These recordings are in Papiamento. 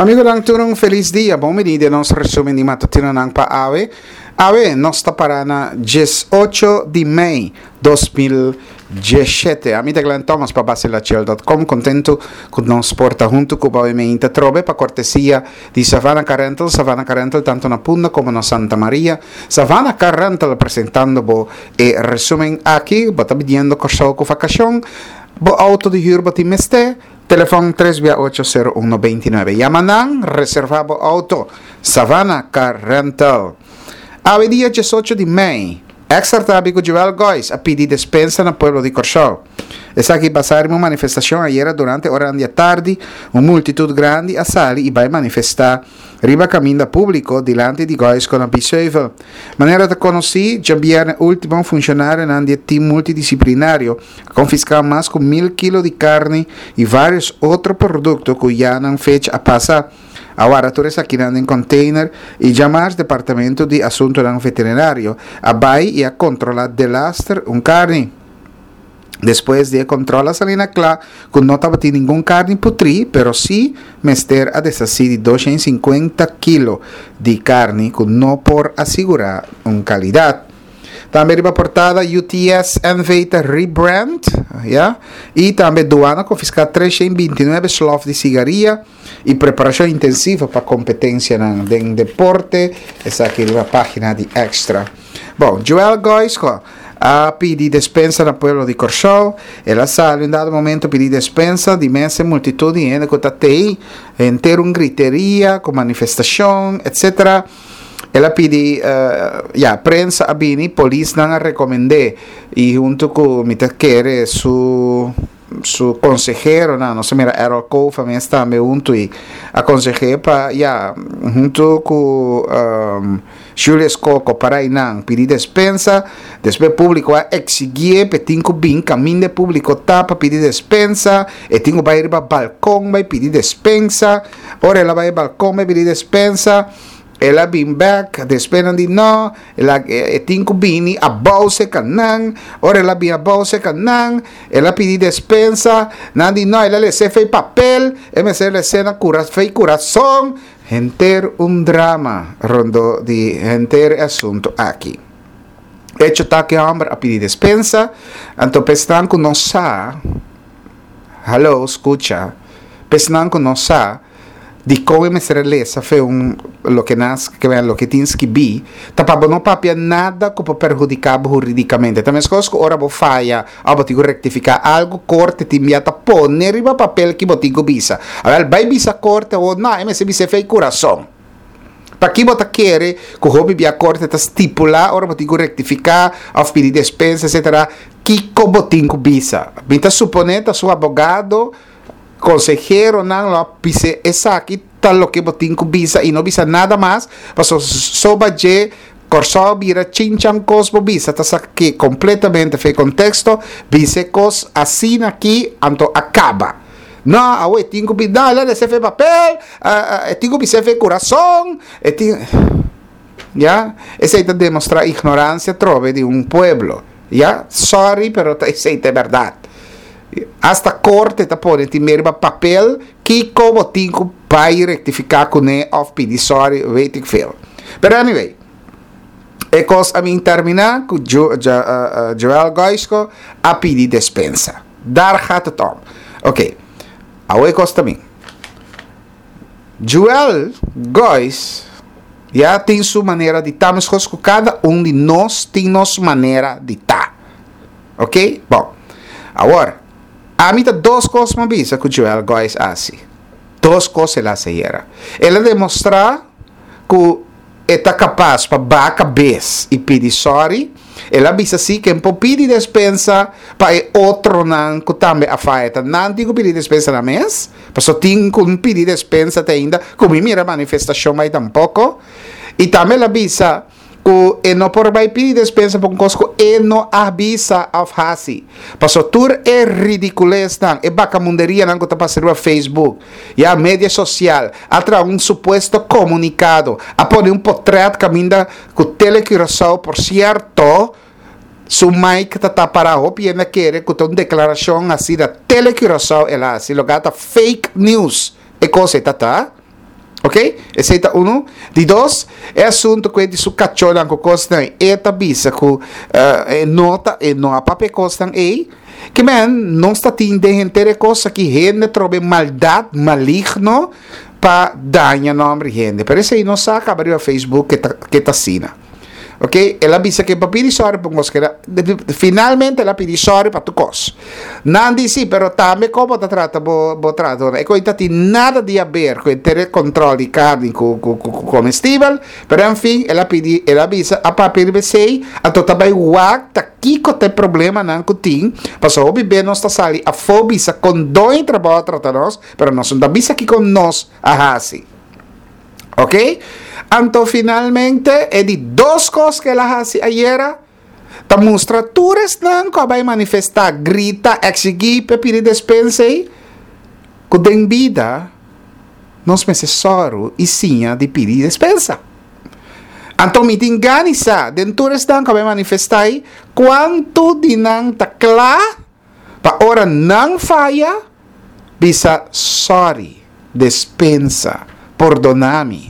Amigonan tur un felis dia, bon bini den nos resumen di matutinonan pa awe. Awe nos ta para na 18 di mei 2017. Ami ta Glenn Thomas pa Basilachel dot com, contento cu nos por ta hunto cu bo awe meinta trobe pa cortesia di Savannah Car Rental, Savannah Car Rental tanto na Punda como na Santa Maria. Savannah Car Rental presentando bo e resumen aki, bo ta bidiendo Corsou cu vacacion, bo auto di huur bo tin mester, Telefon tres bia ocho sero uno beintinuebe. Yama nan, reserva bo auto. Savannah Car Rental. Awe dia diesocho di mei, Extra ta abi ku Joel Gois a pidi despensa na pueblo di Kòrsou. Esaki basa riba un manifestashon ayera durante oranan di atardi, un multitut grandi a sali i bai manifestá riba kaminda públiko dilanti di Goisco na Biesheuvel. Manera ta konosí, djabièrnè último funshonarionan di e tim multidisiplinario A konfiská mas ku mil kilo di karni i vários otro produkto ku ya nan fecha a pasa. A warda tur esakinan den kònteiner i djamars Departamento di Asuntunan Veterinario a bai i a kontrolá delaster un karni. Despues di e kòntròl a sali na kla ku no tabatin ningun karni putrí pero sí mester a deshasí di 250 kilo di karni ku no por a sigurá un kalidat. Tambe riba portada UTS NV ta rebrand, ya. Y tambe duana confisca 329 slof di sigaria y preparacion intensivo pa competencianan den deporte. Esaki riba pagina di Extra. Bon, Joel Goisco a pidi despensa na pueblo di Corsou. El a sali un dado momento pidi despensa di mes e multitud di hende cu ta tei, henter un griteria cu manifestacion, etc. El a pidi, ya, prensa a bini, polisnan a recomend'é y hunto cu mi ta kere su su conseheronan, nos a mira Errol Cova mes tambe hunto y a conseh'é pa, ya, hunto cu Julius Coco para eynan pidi despensa. Despues publico a exiguié p'e tin cu bin caminda e publico ta pa pidi despensa, e tin cu bay riba balcon bay pidi despensa. Ora el a bai e balkon bai bini despensa, el a bin bek, despues nan di no, el a e tin ku bini abou seka nan, ora el a bin abou seka nan, el a pidi despensa, nan di no, el a lese fei papel, e mester lese na kura fei kurason, henter un drama rondó di henter e asuntu aki. Echo ta ku e hòmber a pidi despensa, anto pa esnan ku no sa, Hallo, skucha. P'esnan ku no sa dikon e mester a lesa fe un loke nan a loke tin skibí, ta pa bo no papia nada ku por perhudiká bo hurídikamente. Ta meskos ku ora bo faya òf bo tin ku rektifiká algu, korte tin bia ta pone riba papel ki bo tin ku bisa. Awèl, bai bisa korte awor, no, e mester bis'é fe i kurason. Paki bo ta kere ku hopi bia korte ta stipulá ora bo tin ku rektifiká òf pidi despensa etsetera? Kiko bo tin ku bisa? Mi ta suponé ta su abogado, konseheronan lo a bis'é esaki ta loke bo tin ku bisa i no bisa nada mas, pasobra soba dje Kòrsou a bira chinchan kos bo bisa ta sak'é kompletamente for e konteksto, bis'é kos asina aki anto a kaba. No, awo e tin ku bi, no, el a rese fe papel, e tin ku bis'é fe kurason, e tin, ya, esei ta demostrá ignoransia atrobe di un pueblo, ya, sorry pero ta esei ta e bèrdat. Asta korte ta pone tin meri riba papel kiko bo tin ku bai rektifiká kuné òf pidi sorry, weet ik veel. Pero anyway, e kos a bin terminá ku Joel Goisco a pidi despensa. Daar gaat het om. Oké, awo e kos ta bin. Joel Gois ya tin su manera di ta meskos ku kada un di nos tin nos manera di ta. Oké, bon. Awor, ami ta dos kos mi a bisa ku Joel Gois a hasi. Dos kos el a hasi ayera. El a demostrá ku e ta kapas pa baha kabes i pidi sòri. El a bisa si ken por pidi despensa pa e otronan ku tambe a faya. Ta nan tin ku pidi despensa nan mes, pasobra tin ku pidi despensa te ainda ku mi mira manifestashon bai tampoko. I tambe el a bisa ku e no por bai pidi despensa pa un kos ku e no a bisa òf hasi. Pasobra tur e ridikulesnan, e bakamunderianan ku ta pasa riba Facebook, ya media sosial, a traha un supuesto komunikado, a pone un potrèt kaminda ku Tele Curaçao, por sierto, su mic ta ta pará, hopi hende a kere ku ta un deklarashon hasi na Tele Curaçao el a hasi, loke a ta fake news e kos ei ta ta. Ok? Esei ta unu. Di dos, e asunto ku e di su kachónan ku kosnan, e ta bisa ku e no ta, e no a papia e kosnan ei. Ke men, nos ta tin den henter e kos aki hende trobe maldat maligno pa daña nòmber di hende. Pero esei no sa kaba riba Facebook ke ta, ke ta asina. Ok, el a bisa ke pa pidi sòri pa un kos keda, finalmente el a pidi sòri pa tur kos. Nan di si, pero tambe kon bo ta trata bo bo trahadornan. E kos ta tin nada di haber ku henter e kòntròl di karni ku ku ku komestibel, pero en fin el a pidi, el a bisa a papia riba esei, anto ta bai wak ta kiko ta e problemanan ku tin, pasobra hopi be nos ta sali afó bisa kon doño di trabou a trata nos, pero nos no ta bisa kiko nos a hasi. Ok? Anto finalmente e di dos kos ku el a hasi ayera ta mustra tur esnan ku a bai manifestá, grita, eksigí pa e pidi despensa ei, ku den bida nos mester sòru i siña di pidi despensa. Anto mi tin gana di sa den tur esnan ku a bai manifestá ei, kuantu di nan ta kla Pa ora nan faya, bisa sorry, despensa, pordona mi.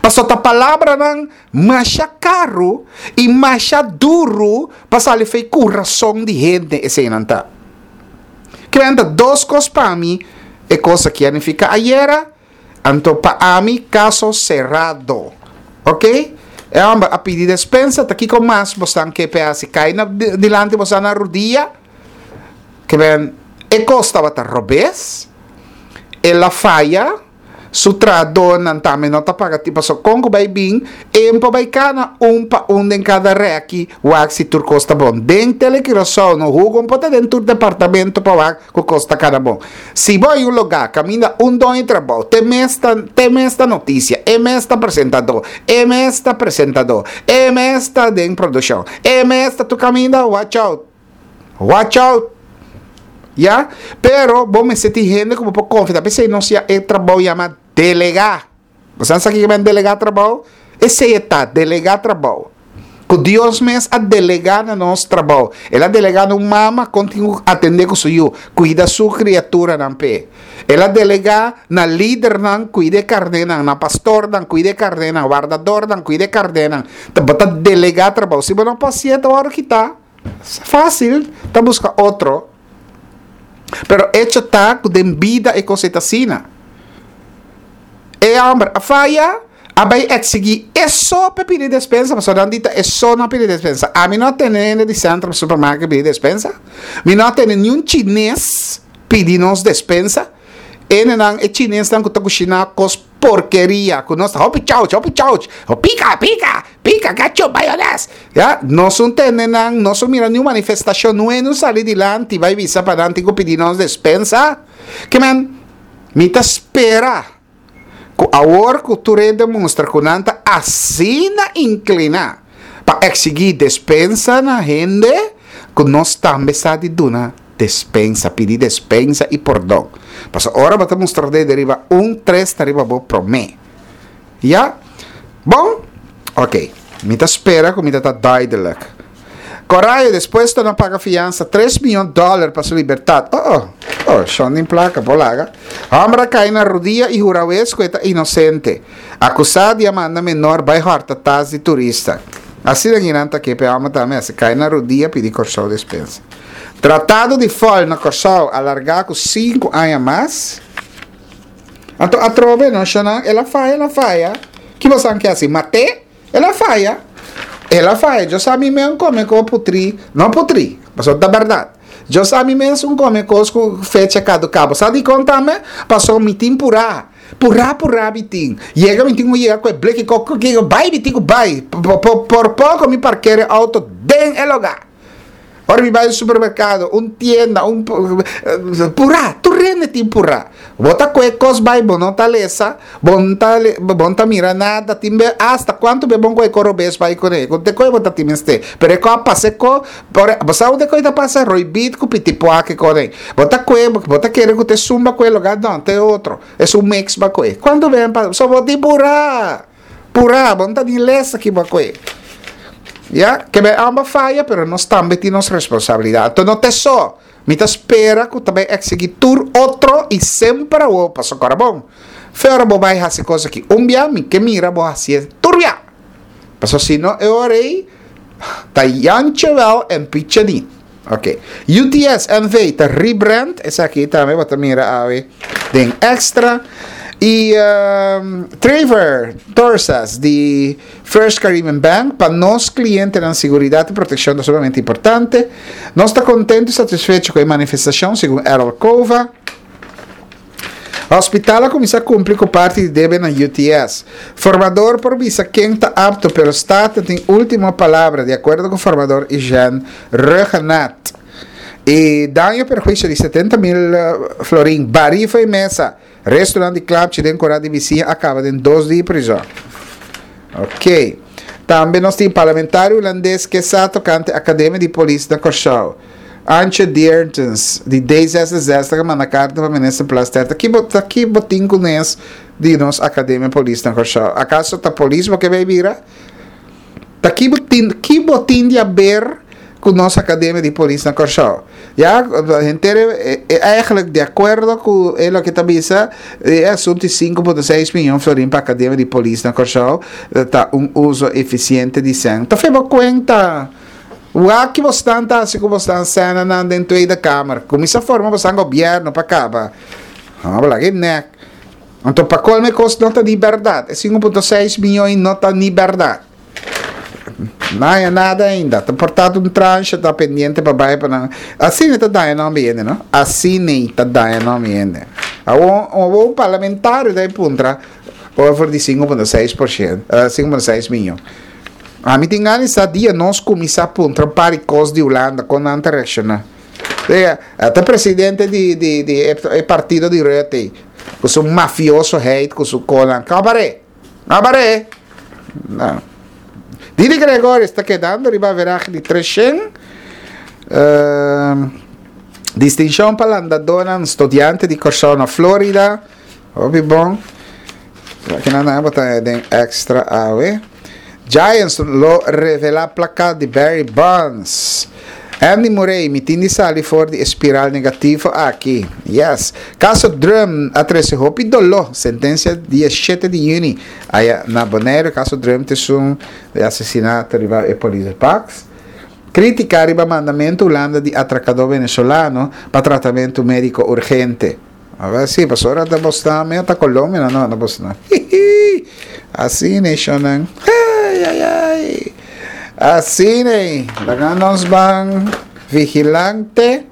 Pasobra ta palabranan masha karu i masha duru pa sali fei kurason di hende eseinan ta. Kimen ta dos kos pa mi e kos aki a nifiká ayera. Anto pa ami caso cerrado. Ok? E homber a pidi despensa, ta kico mas bosnan ke pe haci? Cay na dilanti bosnan na rudia? Ke ben e cos tabata robes, el a faya, su trahadornan tambe no ta paga tin pasobra con cu bay bin, en por bay cana un pa un den cada reki wak si tur cos ta bon. Den Tele Curaçao no hugo un por ta den tur departamento pa wak cu cos ta cana bon. Si bo hay un lugá kaminda un doño di trabou te mes ta te mes ta notisia, e mes ta presentadó, e mes ta presentadó, e mes ta den produkshon, e mes ta tur kaminda, watch out, watch out. Ya? Pero bo mester tin hende ku bo por konfia. Ta p'esei nos ya e trabou yama delegá. Bo sa sa kiko men delegá trabou? Esei e ta, delegá trabou. Ku Dios mes a delegá na nos trabou. El a delegá na un mama kon tin ku atendé ku su yu, kuida su kriaturanan p'e. El a delegá na lidernan kuida e karnénan, na pastornan kuida e karnénan, wardadornan kuida e karnénan. Ta bo ta delegá trabou. Si bo no por hasié ta wòrdu kitá. Fásil ta buska otro. Pero echo ta ku den bida e kos ei ta asina. E hòmber a faya. A bai eksigí e so p'e pidi despensa, pasobra nan di ta e so no a pidi despensa. Ami no a tene hende di Centrum Supermarket pidi despensa. Mi no a tene niun chines pidi nos despensa. Hendenan, e chinesnan ku ta kushiná kos porkeria, ku nos ta hopi chauch, hopi chauch, o pika, pika, pika, ketchup, mayones. Ya, nos un tene nan, nos un mira niun manifestashon, no hende un sali dilanti bai bisa pa nan tin ku pidi nos despensa. Ke men, mi ta spera. Ku awor ku tur hende mustra ku nan ta asina inkliná pa eksigí despensa na hende, ku nos tambe sa di duna despensa, pidi despensa i pordon. Pasobra ora bo ta mustra dede riba un, tres ta riba bo promé. Ya? Bon? Oké. Mi ta spera ku mi ta ta duidelijk. Corayo despues ta na paga fiansa tres miyon dollar pa su libertad. Oh oh, oh, shon din placa, por laga. Homber a cay na rudia y hura wes cu e ta inocente. Acusa di a manda menor bay horta tas di turista. Asina guinan ta ke pe homber tambe a cay na rudia pidi Corsou despensa. Tratado di fol na Corsou alarga cu sinku aña mas. Anto atrobe no shonnan, el a faya, el a faya. Ki bosan ke haci? Mat'e? El a faya. El a faya. Yo sa mi mes come ko putri. No putri, pasobra ta berdad. Yo sa mi mes un come kos ku fecha kaduká. Bo sa dikon tambe? Pasobra mi tin purá. Purá purá mi tin. Yega mi tin ku yega ku e bleki kok kiko bai mi tin ku bai. Por poko mi parker e auto den e lugá. Ora mi bai un supermerkado, un tienda, un purá, tur hende tin purá. Bo ta koe kos bai, bo no ta lesa, bo no ta bo no ta mira nada, tin be asta kuantu be bon koe kos robes bai kuné, ku te koe bo ta tin mester. Pero e kos a pasa e kos, ora bo sa unda e kos ta pasa? Roibit ku pitipuak e kos ei. Bo ta koe, bo ta kere ku ta esun ba koe lugá, no, ta e otro. Esun mix ba koe. Kuantu be pa, so bo tin purá. Purá, bo no ta ni lesa ki bo a koe. Ya, ke bai amba faya, pero nos tambe tin nos responsabilidat. Anto no ta esó. Mi ta spera ku ta bai eksigí tur otro i semper awor, pasobra kòrda bon. Fe ora bo bai hasi kos aki un bia, mi ke mira bo hasié tur bia. Pasobra si no e ora ei ta Jantje wel en Pietje niet. Ok. UTS NV ta rebrand, esaki tambe bo ta mira awe den Extra. I Trevor Torsas di First Caribbean Bank, pa nos klientenan siguridat i protekshon ta sumamente importante. Nos ta kontentu i satisfecho ku e manifestashon, segun Errol Cova. Hospital a kuminsá kumpli ku parti di debe na UTS. Formador por bisa ken ta apto pero Staten tin último palabra, di akuerdo ku formador Eugène Rhuggenaath. E daño perhuisio di 70 mil florin barí fo'i mesa. Restonan di klapchi den kora di bisiña a kaba den dos dia prizòn. Ok. Tambe nos tin parlamentario hulandes ke sa tokante akademia di polis na Kòrsou. Antje Diertens di D66 a manda karta pa Minister Plasterk. Ta ki bo ta ki bo tin ku nes di nos Akademia Polis na Kòrsou? Akaso ta polis bo ke bai bira? Ta ki bo tin ki bo tin di aber ku nos Akademia di Polis na Kòrsou? Ya henter e eigenlijk di akuerdo ku e loke ta bisa e asuntu di 5.6 miyon florin pa Akademia di Polis na Kòrsou ta un uso efisiente di sèn. Ta fe bo kuenta. Wak ki bosnan ta hasi ku bosnan sènanan den Tweede Kamer. Kuminsá forma bosnan gobièrnu pa kaba. Bo laga e nèk. Anto pa kolmo e kos no ta ni bèrdat. E 5.6 miyon no ta ni bèrdat. No haña nada ainda. Ta por tantu un tranche ta pendiente pa bai pa nan. Asina ta daña nòmber hende no. Asina ta daña nòmber hende. Awor awor un parlamentario ta e puntra over di 5.6 por shento, 5.6 miyon. Ami tin gana di sa dia nos kuminsá puntra un par di kos di Hulanda kon nan ta reakshoná. Sea, ta presidente di di di e partido di Rutte ku su mafiosoheid ku su konan. Kabaré! Kabaré! No. Didi Gregorius ta kedando riba averahe di 300. Uh, distinshon pa landadónan studiante di Kòrsou na Florida. Hopi bon. Kinan nan bota den extra awe. Giants lo revela plakat di Barry Bonds. Andy Murray, mi tin di sali for di e spiral negativo aki. Yes. Caso Drum a trece hopi doló. Sentencia dia 7 di juni. Aya na Bonaire, caso Drum ta esun di asesinato riba e polis Pax. Critica riba mandamento Hulanda di atracador venezolano pa tratamento medico urgente. A si, pasobra ta bosnan mi ta Colombia nan no ta bosnan. Hihi. Asina e shonnan. Ay ay ay. Asina e. Laga nos ban vigilante.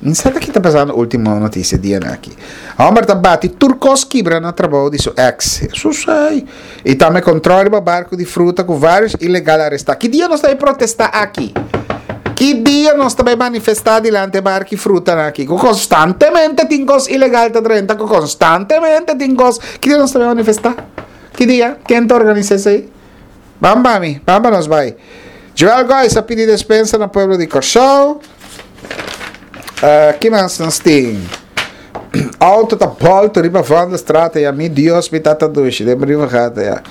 Mi sa ta ki ta pasando ultimo noticia dianan aki. Homber ta bati tur kos kibra na trabou di su ex. Jesus ay. I tambe control riba barco di fruta cu varios ilegal aresta. Ki dia nos ta bay protesta aki? Ki dia nos ta bay manifesta dilanti e barco y frutanan aki? Cu constantemente tin cos ilegal ta drenta, cu constantemente tin cos. Ki dia nos ta bay manifesta? Ki dia? Ken ta organisa esey? Ban ba mi, ban ba nos bai. Joel Gois a pidi despensa na pueblo di Kòrsou. Uh, ki mas nos tin? Auto ta bolto riba Vondelstraat ya mi Dios mi tata dushi den riba gata ya.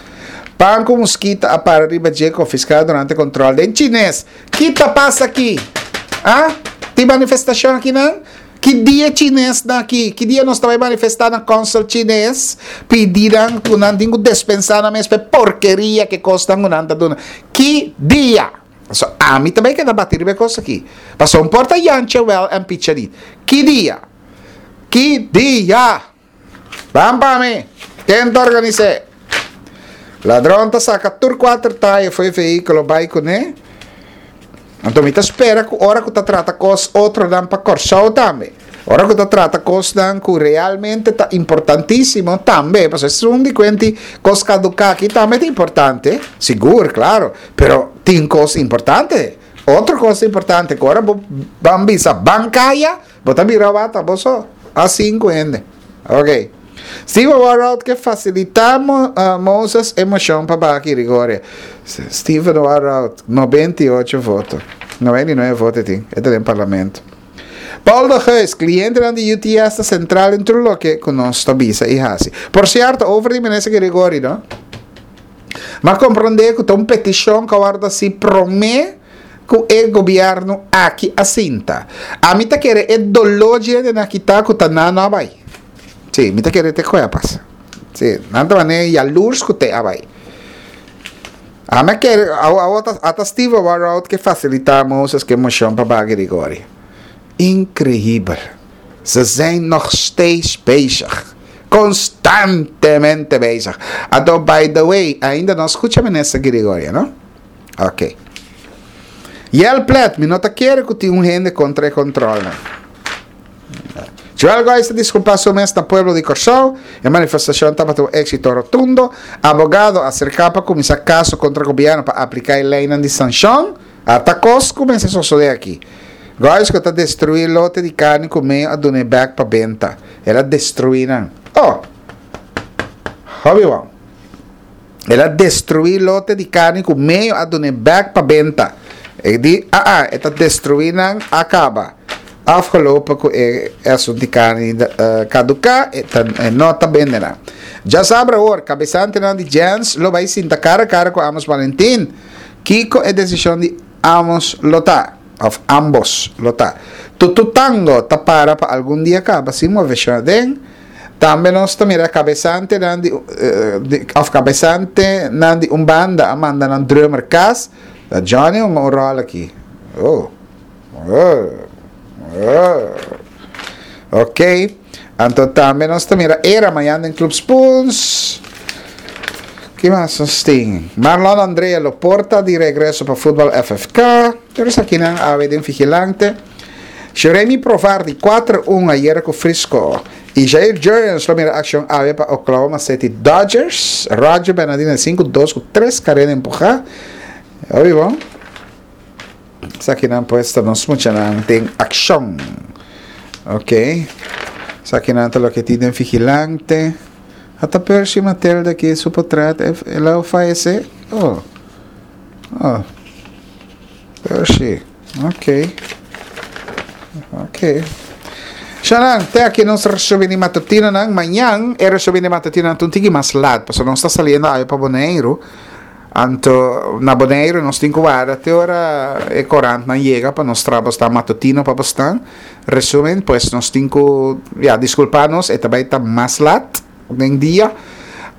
Pan ku muskita a para riba dje konfiská durante kontrol den Chines. Ki ta pasa aki? Ah? Tin manifestashon aki nan? Ki dia chines nan aki? Ki dia nos ta bai manifestá na consul chines? Pidi nan ku nan tin ku despensá nan mes pa e porkeria ku e kosnan ku nan ta duna. Ki dia? Pasobra ami ta bai keda bati riba e kos aki. Pasobra un por ta Jantje wèl en Pietje niet. Ki dia? Ki dia? Ban pa mi! Ken ta organis'é? Ladron ta saka tur kuater taya for e vehíkulo bai kuné. Anto mi ta spera ku ora ku ta trata kos otronan pa Kòrsou tambe. Ora ku ta trata kosnan ku realmente ta importantísimo tambe, pasobra esun di kuenti kos kaduká aki tambe ta importante, sigur, klaro, pero tin kos importante. Otro kos importante ku ora bo ban bisa ban kaya, Bo ta bira wata bo so. A sinku hende. Ok. Steven Warhout ke fasilitá Mo, uh, Moses e moshon pa baha Girigoria. Steven Warhout, 98 voto. 99 voto e tin. E ta den parlamento. Paul de Geus, klientenan di UTS ta sentral den tur loke ku nos ta bisa i hasi. Por sierto, over di minister Girigoria, no? M'a komprondé ku ta un petishon ku a wòrdu hasi promé ku e gobièrnu aki a sinta. Ami ta kere e doló dje hendenan aki ta ku ta nan no a bai. Sí, mi ta kere te koe a pasa. Sí, nan ta manera yalurs ku te a bai. Ami a kere, awo ata Steve Warrout ke fasilitá Moses ku e moshon pa baha Girigorie. Increíbel. Ze zijn nog steeds bezig. Constantemente bezig. Anto, by the way, ainda no a scucha Minister Girigorie, no? Ok. Yel Plet, mi no ta kere cu tin un hende contra e controlnan. Joel Gois ta disculpa su mes na pueblo di Corsou. E manifestacion tabata un exito rotundo. Abogado acerca pa cuminsa caso contra gobierno pa aplica e leynan di sancion. Ata kos ku mester sosodé aki. Gois ku ta destruí lote di karni ku meo a dun'é bèk pa benta. El a destruí nan. Oh! Hopi bon. El a destruí lote di karni ku meo a dun'é bèk pa benta. E di, Aa, e ta destruí nan a kaba. Afgelopen ku e asuntu di karni kaduká, e ta e no ta bende nan. Djasabra awor, kabesantenan di Jens lo bai sinta kara kara ku Amos Valentin. Kiko e desishon di Amos lo ta, òf ambos lo ta? Tututango ta para pa algun dia kaba sin moveshon aden. Tambe nos ta mira kabesantenan di òf kabesantenan di un banda a manda nan drummer kas. Ta Johnny hunga un ròl aki. Oh. Oh. Oh. Ok. Anto tambe nos ta mira era mañan den Club Spoons. Ki mas nos tin? Marlon Andrea lo por ta di regreso pa futbal FFK. Pero esakinan awe den Vigilante. Jeremy Provar di 4-1 ayera ku Frisco. Y Jair Jurrjens lo mira accion awe pa Oklahoma City Dodgers. Roger Bernadina di 5-2 ku 3 karera empuha. Obi bon. Esakinan pues ta nos muchanan den akshon. Ok. Esakinan ta loke tin den Vigilante. Ata Percy Matilde aki su potret el a fayece? Oh. Oh. Percy. Ok. Ok. Shanan, te aki nos resumen di matutinonan. Mañan e resumen di matutinonan ta un tiki mas lat, pasobra nos ta saliendo awe pa Boneiru. Anto na Boneiru nos tin ku warda te ora e korantnan yega pa nos traha bosnan matutino pa bosnan. Resumen, pues nos tin ku, ya, diskulpa nos, e ta bai ta mas lat den dia.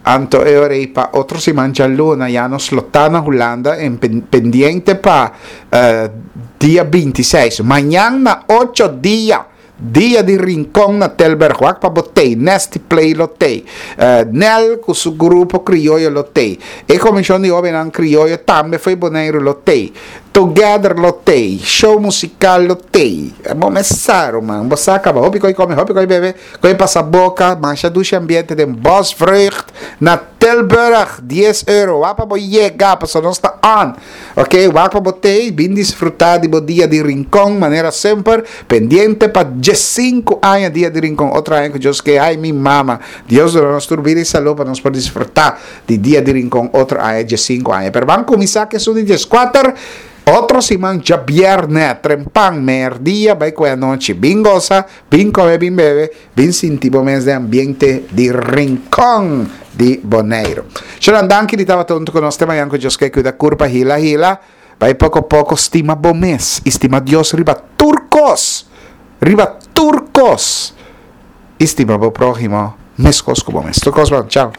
Anto e ora ei pa otro siman djaluna ya nos lo ta na Hulanda en pendiente pa dia 26. Mañan na ocho dia! Dia di Rincon na Tilburg, wak pa bo tei, Nasty Play lo tei, Nel ku su grupo krioyo lo tei, e komishon di hobennan krioyo tambe fo'i Boneiru lo tei, Together lo tei, show musikal lo tei. Bo mes sa ruman, bo sa kaba, hopi koi kome, hopi koi bebe, koi pasa boka, masha dushi ambiente den Bosvreugd na Tilburg, dies euro, wak pa bo yega pasobra nos ta on. Ok, wak pa bo tei, bin disfruta di bo dia di Rincon manera semper, pendiente pa diesinku aña dia di Rincon, otro aña ku Dios ke, ay mi mama, Dios duna nos tur bida i salú pa nos por disfruta di dia di Rincon otro aña diesinku aña. Pero ban kuminsá ku esun di dieskuater, otro siman djabièrnè, trempan, merdia bai ku e anochi, bin gosa, bin kome, bin bebe, Bin sinti bo mes den ambiente di Rincon di Boneiru. Shonan danki di tabata huntu ku nos te mañan ku Dios ke kuida kurpa hila hila. Bai poko poko stima bo mes i stima Dios riba tur kos. Riba tur kos. I stima bo próhimo meskos ku bo mes. Tur kos bon. Chao.